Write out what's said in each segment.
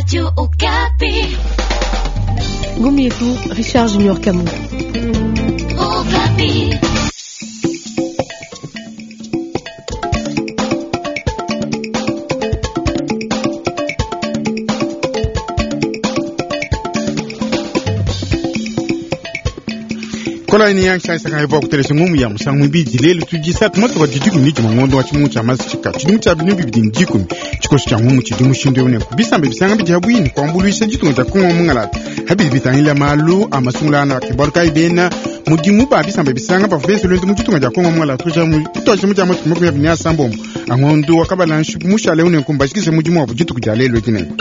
Radio Okapi. Ngumu yetu Richard Junior Kamungu. Okapi. Kola ni yansha saka hivyo kutelesha ngumu ya musangu mbiji lelo tujisatu moto kwa jijiku miji mangondo wa chimungu cha mazi chika chidimu cha binu bibidi njikumi chikosi cha ngumu chidimu shindo yone kubisambe bisanga biji habwini kwambuluisha jitunga cha kunga mungalata habili bitangila malu amasungula na kibaru kaibena mudimu ba bisamba bisanga bavubense lwendo muchitunga cha kongo mwala tuja mu tutoje muja moto mukumi abini asambombo angondo wakabala mushale une kumbashikishe mudimu wa bujitu kujalelo kinengo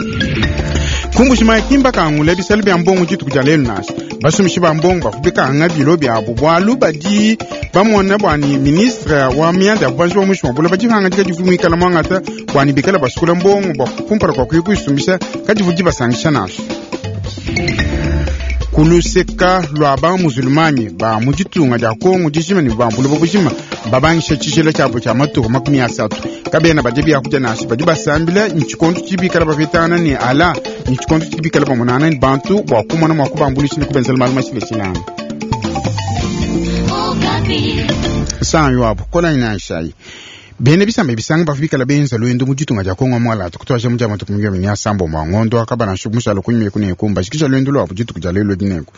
kumbushima kimba kangula bisalo bya mbongo dituku dia lelu nansha basumishi ba mbongo bavubika anga bilo biabu bwalu badi bamona bwani ministre wa mianda ya bubanji bwa mushi mabula badihanga dika divu mwikala mwangata bwani bikala basukula mbongo bwa kumpala kwa kuya kuyisumbisha kadivu dibasangisha nansha kuluseka lwa ba muzulumanyi ba mu ditunga dia kongo dijima ne bambulu bujima babangisha tshijila tshiabo tshia matuku 30 kabena badi biakudia nansha badi basambila ntshikondo tshibikala bapetangana ne ala ntshikondo tshibikala bamonana ne bantu bua kumona mua kubambuluisha ne kubenzela malu mashilashilanga Okapi. sanyo abo kola nanshayi bene bisamba bisanga bafu bikala benza lwendo mu ditunga dia kongo mwalata kutwaja mu dia matuku migyo ya sambo mwa ngondo akabana nshu mushalo kunyime kuneko mbashikisha lwendo lwabo dituku dia lelo dineko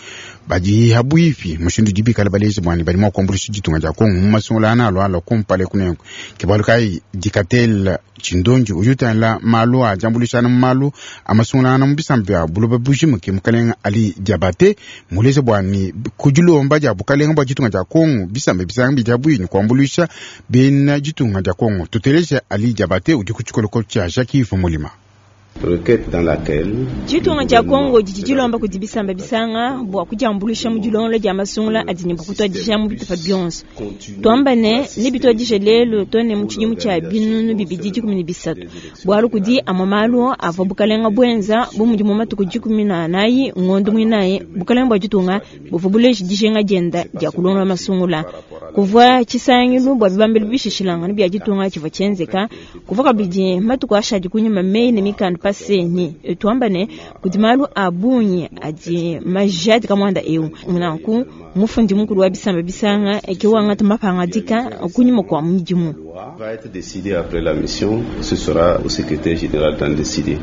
badi habwipi mushindu dibikala balezi bwani badi mwa kuambulisha ditunga dia kongo mu masungula ana alwala kumpale kuneko kibalu kai dikatel chindonji ujutala malu a jambulishana mu malu amasungulana mu bisamba bya buloba bujima ke mukalenga ali diabate muleze bwani kudilomba dia bukalenga bwa ditunga dia kongo bisamba bisanga bidia bwini kuambulisha bena ditunga dia kongo tuteleje ali diabate udi ku tshikoloko tshia jacques Mulima. Requête dans laquelle Ditunga dia Kongo didi dilomba kudi bisamba bisanga bua kudiambulisha mu dilongolo dia masungula adi ne bua kutuadija mu bitupa bionso. Tuamba ne nebituadije lelu to ne mu tshidimu tshia 2013 bualu kudi amwe malu avua bukalenga buenza bu mudi mu matuku 14 ngondo muinayi bukalenga bua ditunga buvua buleje dijinga dienda dia kulongola masungula. Kuvua tshisangilu bua bibambilu bishishilangana bia ditunga tshivua tshienzeka kuvua kabidi matuku ashadi kunyima meyi ne mikanda paseni tuamba ne kudi malu a bungi adi majadika muanda eu nanku mufundi mukulu wa bisamba bisanga ke wangata mapangadika kunyima kua mudimu. Va être décidé après la mission, ce sera au secrétaire général d'en décider.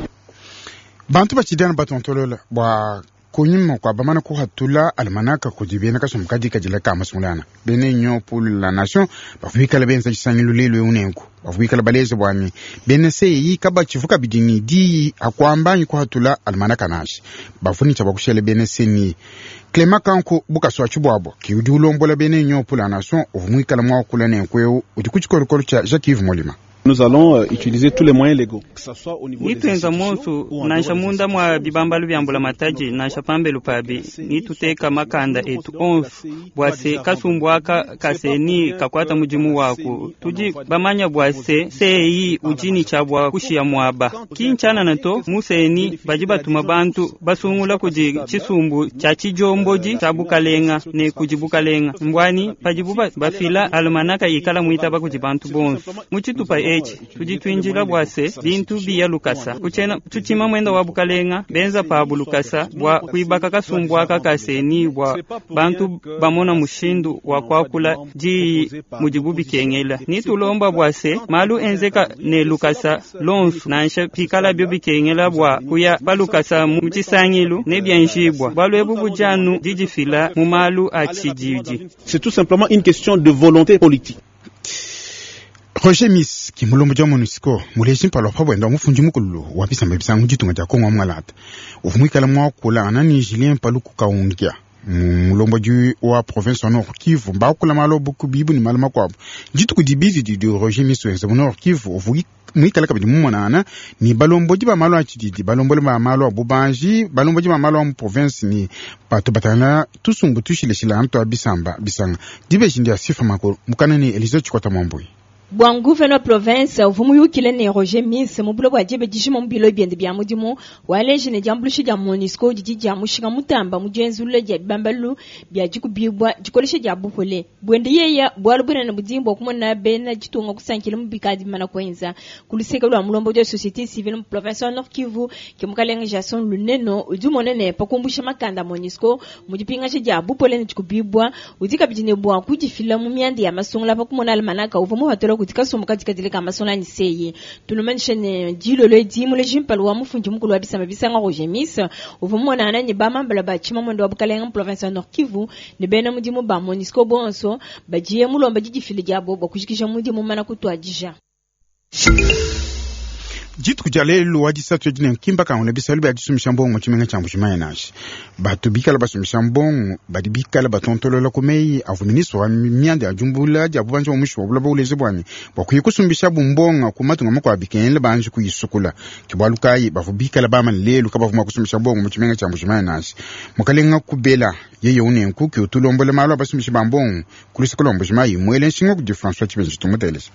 Bantu batshidana batontolola bua kunyima kua bamana kuhatula almanaka kudi bena kasumbu kadi kadila ka masungulana bena union pour la nation bavua bikala benza tshisangilu lelu eu nenku bavua bikala baleza bwani bena seyi kabatshivu kabidi ni diyi akuamba anyi kuhatula almanaka nansha bavua ni tshia bakushela bena seni Clement Kanku bukasua tshibuabo ki udi ulombola bena union pour la nation uvua muikala muakula nenku eu udi ku tshikolokolo tshia Jacques Yves Molima. Nous allons utiliser tous les moyens légaux, que ce soit au niveau des nituenza institutions monsu ou en nansha dehors des munda mwa institutions. bibambalu bya mbulamatadi nansha pambelu pabi nituteka makanda etu onsu bua se kasumbu aka kaseni kakwata mudimu waku tudi bamanya bua se seyi udi ni tshia bua kushiya muaba kinchanana to museni badi batuma bantu basungula kudi tshisumbu tshia tshijombodi tshia bukalenga ne kudi bukalenga mbwani padibu bafila almanaka ikala muitaba kudi bantu bonsu mu tshitupa etshi tudi twinjila bua se bintu biya lukasa kuchena tutshima mwenda wa bukalenga benza pabu lukasa bua kuibaka kasumbu aka kaseni bua bantu bamona mushindu wa kuakula diyi mudibu bikengela nitulomba bua se malu enzeka ne lukasa lonsu nansha pikala bio bikengela bua kuya balukasa mu tshisangilu ne bienjibua bualu ebu bujanu didifila mu malu a tshididi. C'est tout simplement une question de volonté politique. Roger Miss ki mulombo dia MONUSCO muleji mpala wa pabwenda wa mufundi mukulu wa bisamba bisanga mu ditunga dia Kongo wa mwalata uvua muikala muakula anani Julien Paluku Kaungia mulombodi wa province wa Nord Kivu mbakula malu buku bibu ne malu makuabu dituku dibidi didi Roger Miss wenza mu Nord Kivu uvua muikala kabidi mumonana ni balombodi ba malu a tshididi balombodi ba malu a bubanji balombodi ba malu a mu province ni bato batana tusumbu tushilashilangana tua bisamba bisanga dibeji ndia sifa makulu mukana ni Elise Chikwata Mwambui. Bua nguvena wa province uvua muyukile ne Roger Miss mu buloba bua diba dijima mu bilo biende bia mudimu, waleji ne diambuluisha dia MONUSCO didi dia mushinga mutamba mu dienzulula dia bibambalu bia dikubibua dikolesha dia bupole buende yeya. Bualu bunene budi bua kumona bena ditunga kusankila mu bikadi bimana kuenza. Ku luseke lua mulombodi wa société civile mu province wa Nord Kivu, ke mukalenge Jason Luneno, udi umona ne pa kumbusha makanda a MONUSCO mu dipingaja dia bupole ne dikubibua, udi kabidi ne bua kudifila mu mianda ya masungula pa kumona almanaka uvua mupatula kudi kasumbu kadikadile ka masungula anyi CEI. Tunumanyishe ne dilolo edi muleji mpala wa mufundi mukulu wa bisamba bisanga Roger Miss uvua mumonangana ne bamambala ba tshimamwende wa bukalenge mu province wa Nord Kivu ne bena mudimu ba MONUSCO bonso badiye mulomba didifila diabo bua kujikija mudimu mumana kutuadija. Dituku dia lelu wa disatu edi ne nkimba kangula bisalu bia disumbisha mbongo mu tshimenga tshia Mbuji-Mayi. Nansha batu bikala basumbisha mbongo badi bikala batontolola ku meyi avua ministre wa mianda ya diumbula dia bubanji bua muinshi wa buloba uleja bua ne bua kuya kusumbisha bumbonga ku matunga makuabu bikengela banji kuyisukula. Ke bualu kayi bavua bikala bamane lelu kabavua mua kusumbisha mbongo mu tshimenga tshia Mbuji-Mayi nansha. Mukalenga Kubela yeye unenku ke utulombola malu a basumbishi ba mbongo ku luseke lua Mbuji-Mayi, muele nshinga kudi François Tshibenji. Tumuteleje.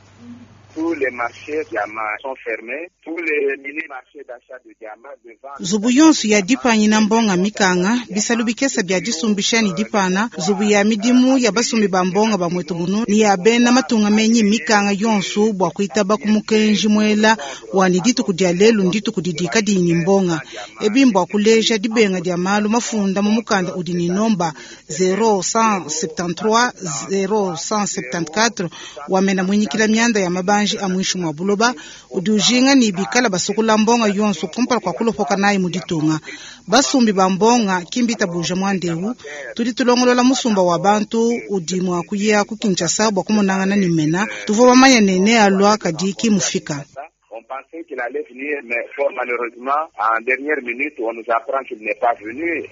Tous les marchés diamants sont fermés. Tous les mini-marchés d'achat de diamants devant. Nzubu yonso ya dipanyina mbonga mikanga, bisalu bikese bia disumbisha ne dipana, nzubu ya midimu ya basumbi ba mbonga ba mwetu bunu ne ya bena matunga menyi mikanga yonso bua kuitaba ku mukenji muela wa ne dituku dia lelu ndituku didi kadiyi ne mbonga. Ebi mbua kuleja dibenga dia malu mafunda mu mukanda udi ne nomba 0173 0174 wa mena muinyikila mianda ya mabanji a muinshi mua buloba udi ujinga ne bikala basukula mbonga yonso kumpala kua kulopoka nayi mu ditunga. Basumbi ba mbonga kimbitabuja muandeu tudi tulongolola musumba wa bantu udi mua kuya ku Kinshasa bua kumonangana ne mena tuvua bamanya ne nealua kadi kimufika. On pensait qu'il allait venir, mais fort malheureusement, en dernière minute, on nous apprend qu'il n'est pas venu.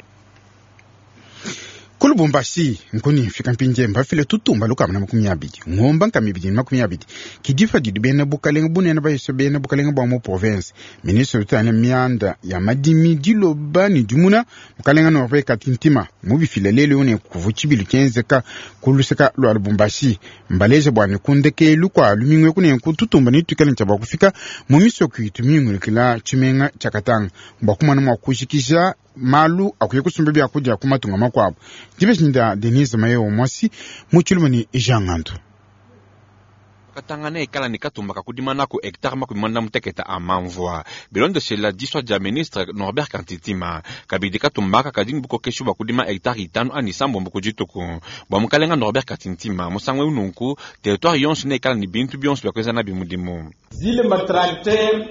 Ku Lubumbashi nkuni mfika mpindie mbafile tutumba lukama na makumi abidi ngomba nkama ibidi na makumi abidi kidifa didi bena bukalenge bunene bayise bena bukalenge bua mu province. Ministre utane mianda ya madimi diloba ne dimuna mukalenga Norbert Katintima mubifile lelu ne kuvu tshibilu tshienzeka ku luseka lua Lubumbashi. Mbaleje bua ne kundekelu kua lumingu eku nenku tutumba ne tuikale ntshia bua kufika mu misoko itu mingulukila tshimenga tshia Katanga bua kumona mua kujikija malu akuye kusumba biakudia ku matunga makuabu. Dibeshinda Denise Mayo Mwasi mu tshilume ne Jean Ngandu. Katanga ne ikala ne katumba kakudima nako hectare 46 a mamvua bilondeshela disua dia ministre Norbert Kantitima. Kabidi katumba aka kadi bukokeshu bua kudima hectare 5 ani 7 ku dituku. Bua mukalenga Norbert Kantitima musangu eu nunku territoire yonso ne ikala ne bintu bionso bia kuenza nabi mudimu. Zile matracteur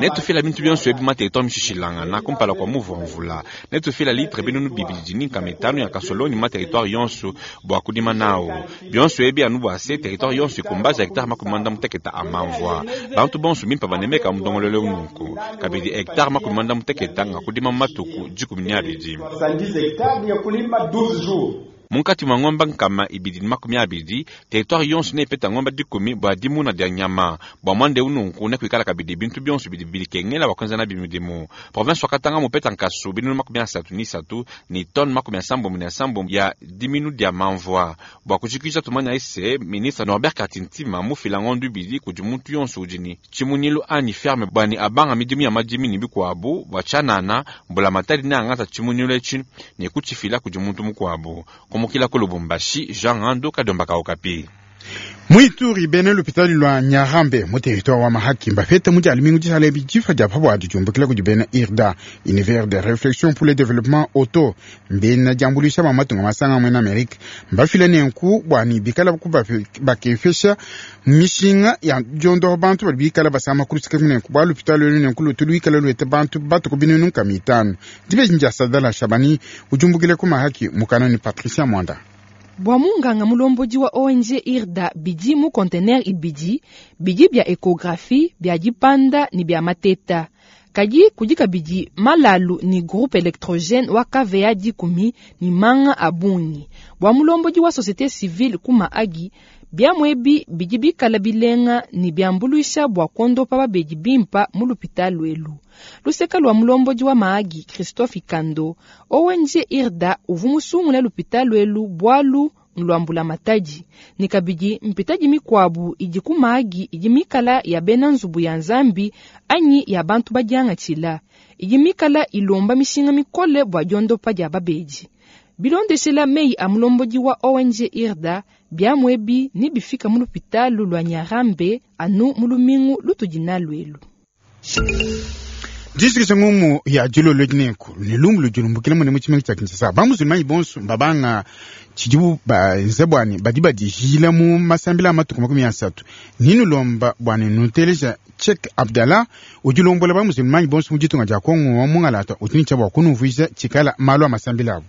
Netufila bintu bionso ebi ma territoire mishishilangana kumpala kua muvu wa mvula. Netufila litre 205 ya kasoloni ma territoire yonso bua kudima nawo. Bionso ebi anu bua se territoire yonso ikumbaza hectare 60 a mamvua. Bantu bonso bimpa banemeka mudongololo nunku. Kabidi hectare 60 nga kudima matuku 12. 70 hectares ya kulima 12 jours. Munkati mwa ngomba 220 territoire yonso nepeta ngomba 10 bua dimuna dia nyama. Bua mwande ununku nekuikala kabidi bintu bionso bidi bikengela bua kuenza nabi midimu. Province wa Katanga mupeta nkasu 33 ni tonne 77 ya diminu dia mamvua. Bua kujikija tumanya ese ministre Norbert Katintima mufila ngondu ibidi kudi muntu yonso udi ne tshimunyilu anyi ferme bua ne abanga midimu ya madimi ne bikuabu bua tshianana mbulamatadi ne angata tshimunyilu etshi ne kutshifila kudi muntu mukuabu. Kumukila ku Lubumbashi, Jean Ngandu Kadomba Kaokapi. Muituri bena lupitali lua Nyarambe mu territoire wa Mahaki mbafete mu dia lumingu dishala ebi difa dia pabuadi diumbukila kudi bena IRDA, Univers de Réflexion pour le Développement Auto, mbena diambuluisha ba matunga masanga muena Amerique. Mbafile nenku bua ne bikala ku bakefesha mishinga ya diondoha bantu badi bikala basama kulusika nenku bua lupitali lwenu nenku lutu luikala luete bantu batuku 500. Dibeji ndia Sadala Shabani ujumbukile ku Mahaki mukana ni Patricia Mwanda. Bua munganga mulombodi wa ONG IRDA bidi mu conteneur ibidi bidi bia échographie bia dipanda ne bia mateta. Kadi kudi kabidi malalu ni groupe électrogène wa KVA 10 ni manga a bungi. Bua mulombodi wa société civile kuma agi bia mwebi bidi bikala bilenga ni biambuluisha bua kondopa babedi bimpa mu lupitalo lwelu. Luseka lua mulombodi wa maagi Christophe Kando, ONG IRDA uvu musungula lupitalo lwelu bualu ne lua mbulamatadi, ne kabidi mpitadi mikuabu idi ku Mahagi idi mikala ya bena nzubu ya Nzambi anyi ya bantu badiangatshila, idi mikala ilomba mishinga mikole bua diondopa dia babedi. Bilondeshela meyi a mulombodi wa ONG IRDA, biamu ebi nebifika mu lupitalu lua Nyarambe anu mu lumingu lutudi nalu elu. Distrikisha ngumu ya dilolo dinenku ne lumu ludi lumbukila mune mu tshimenga tshia Kinshasa. Bamusulmanyi bonso mbabanga tshidibu benze bua ne badi badijila mu masambila a matuku 30. Ninulomba bua ne nuteleja Cheikh Abdallah udi ulombola bamusulmanyi bonso mu ditunga dia Kongo wa Mungalata udi ne tshia bua kunumvuija tshikala malu a masambila abu.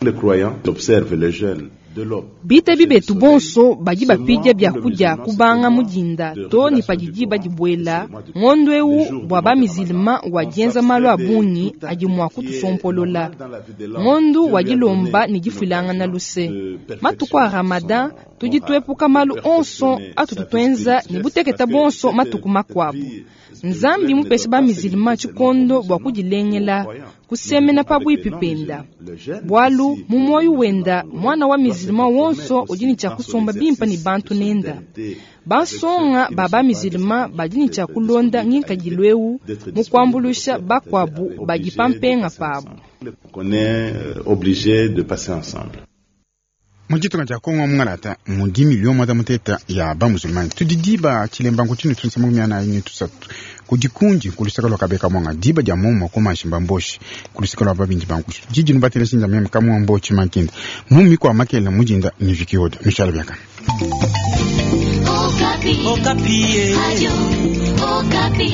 Les croyants observent le jeûne de l'aube. Bitabi betu bonso badi bapidia biakudia kubanga mudinda to ne padidi badibuela ngondo eu bua bamizilma wa dienza malu a bungi adi mua kutusompolola. Ngondo wa dilomba ne difuilangana luse. Matuku a Ramadan tudi tuepuka malu onso atutu tuenza ne buteketa bonso matuku makuabu. Nzambi mupeshe bamizilma tshikondo bua kudilengela, kusemena pabuipi penda. Bualu mu moyo wenda mwana wa mizilma wonso udi ne tshia kusomba bimpa ne bantu nenda. Bansonga ba bamizilma badi ne tshia kulonda ngikadilu eu mu kuambuluisha bakuabu badi pampenga pabu. On est obligé de passer ensemble. Mu ditunga dia Kongo Mungalata mudi milio mwanda muteta ya bamusulmani. Tudi diba tshilemba nkutshinu tunsa 43 kudi kundi kulusaka lua kabeka mwanga diba dia momo kumanshi mbamboshi kulusaka lua babindi bankushi. Didi nubatela sinja meme kamwa mbochi makinda. Mumi kwa makela mujinda ni vikioda. Mishala biaka. Okapi. Okapi. Radio Okapi.